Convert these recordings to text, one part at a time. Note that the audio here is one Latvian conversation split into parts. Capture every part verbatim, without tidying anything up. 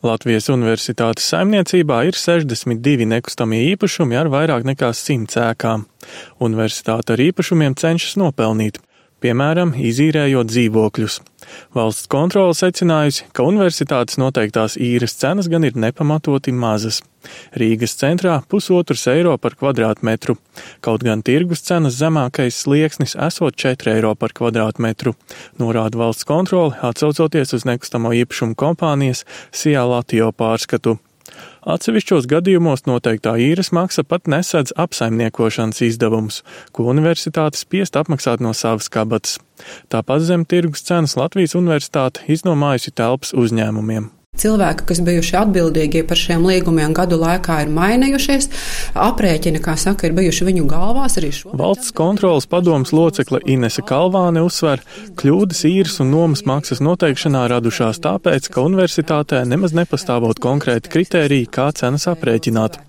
Latvijas Universitātes saimniecībā ir sešdesmit divi nekustamie īpašumi ar vairāk nekā simts ēkām. Universitāte ar īpašumiem cenšas nopelnīt, piemēram, izīrējot dzīvokļus. Valsts kontrole secinājusi, ka universitātes noteiktās īres cenas gan ir nepamatoti mazas. Rīgas centrā pusotrs eiro par kvadrātmetru, kaut gan tirgus cenas zemākais slieksnis esot četri eiro par kvadrātmetru, norāda valsts kontrole, atsaucoties uz nekustamo īpašumu kompānijas Sijā Latio pārskatu. Atsevišķos gadījumos noteiktā īres maksa pat nesedz apsaimniekošanas izdevumus, ko universitāte spiest apmaksāt no savas kabatas. Tāpat zem tirgus cenas Latvijas Universitāte iznomājusi telpas uzņēmumiem. Cilvēki, kas bijuši atbildīgi par šiem līgumiem gadu laikā, ir mainījušies. Aprēķini, kā saka, ir bijuši viņu galvās arī šo. Valsts kontroles padomes locekle Inese Kalvāne uzsver, kļūdas īres un nomas maksas noteikšanā radušās tāpēc, ka universitātē nemaz nepastāvot konkrēti kritēriji, kā cenas aprēķināt.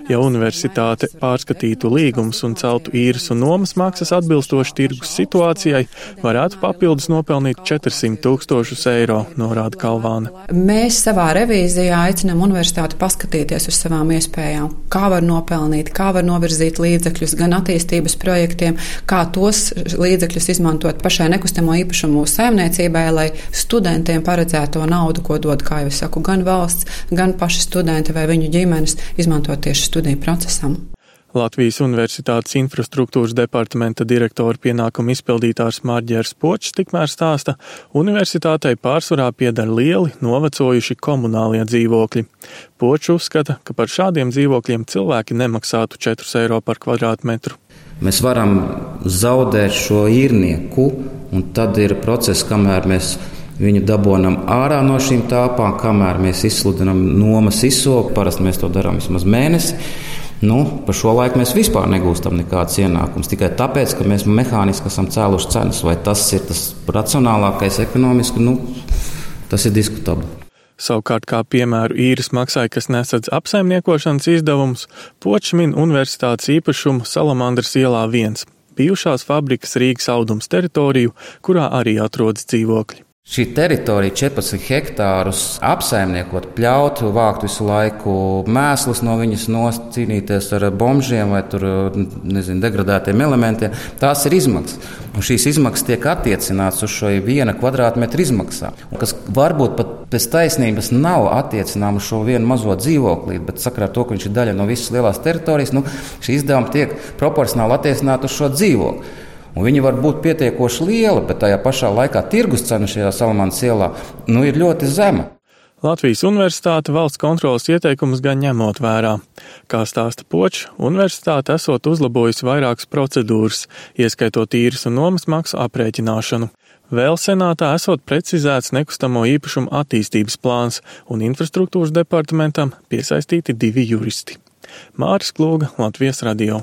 Ja universitāte pārskatītu līgumus un celtu īres un nomas maksas atbilstoši tirgus situācijai, varētu papildus nopelnīt četrsimt tūkstošus eiro, norāda Kalvāne. Mēs savā revīzijā aicinām universitāti paskatīties uz savām iespējām, kā var nopelnīt, kā var novirzīt līdzekļus gan attīstības projektiem, kā tos līdzekļus izmantot pašai nekustamo īpašumu saimniecībai, lai studentiem paredzēto naudu, ko dod, kā jau es saku, gan valsts, gan paši studenti vai viņu ģimenes izmantot tieši studiju procesam. Latvijas Universitātes infrastruktūras departamenta direktora pienākumu izpildītājs Marģers Počs tikmēr stāsta, universitātei pārsvarā pieder lieli, novecojuši komunālie dzīvokļi. Počs uzskata, ka par šādiem dzīvokļiem cilvēki nemaksātu četrus eiro par kvadrātmetru. Mēs varam zaudēt šo īrnieku, un tad ir process, kamēr mēs viņu dabonam ārā no šīm tāpām, kamēr mēs izsludinam nomas izsoku, parasti mēs to darām vismaz mēnesi. Nu, par šo laiku mēs vispār negūstam nekādas ienākumus, tikai tāpēc, ka mēs mehāniski esam cēluši cenas. Vai tas ir tas racionālākais ekonomiski, nu, tas ir diskutabli. Savukārt, kā piemēru īres maksai, kas nesadz apsaimniekošanas izdevumus, Počs min universitātes īpašumu Salamandras ielā viens, bijušās fabrikas Rīgas audums teritoriju, kurā arī atrodas dzīvokļi. Šī teritorija četrpadsmit hektārus apsaimniekot, pļaut, vākt visu laiku mēslus no viņas nost, cīnīties ar bombžiem vai tur, nezinu, degradētiem elementiem, tās ir izmaksas. Un šīs izmaksas tiek attiecināts uz šo viena kvadrātmetra izmaksā, kas varbūt pat pēc taisnības nav attiecināma uz šo vienu mazo dzīvoklīti, bet sakarā ar to, ka viņš ir daļa no visas lielās teritorijas, nu, šī izdevuma tiek proporcionāli attiecināta uz šo dzīvokli. Un viņi var būt pietiekoši liela, bet tajā pašā laikā tirgus cena šajā Salamandras ielā nu, ir ļoti zema. Latvijas Universitāte valsts kontroles ieteikumus gan ņemot vērā. Kā stāsta Počs, universitāte esot uzlabojusi vairākas procedūras, ieskaitot īres un nomas maksu aprēķināšanu. Vēl senātā esot precizēts nekustamo īpašumu attīstības plāns un infrastruktūras departamentam piesaistīti divi juristi. Māris Klūga, Latvijas radio.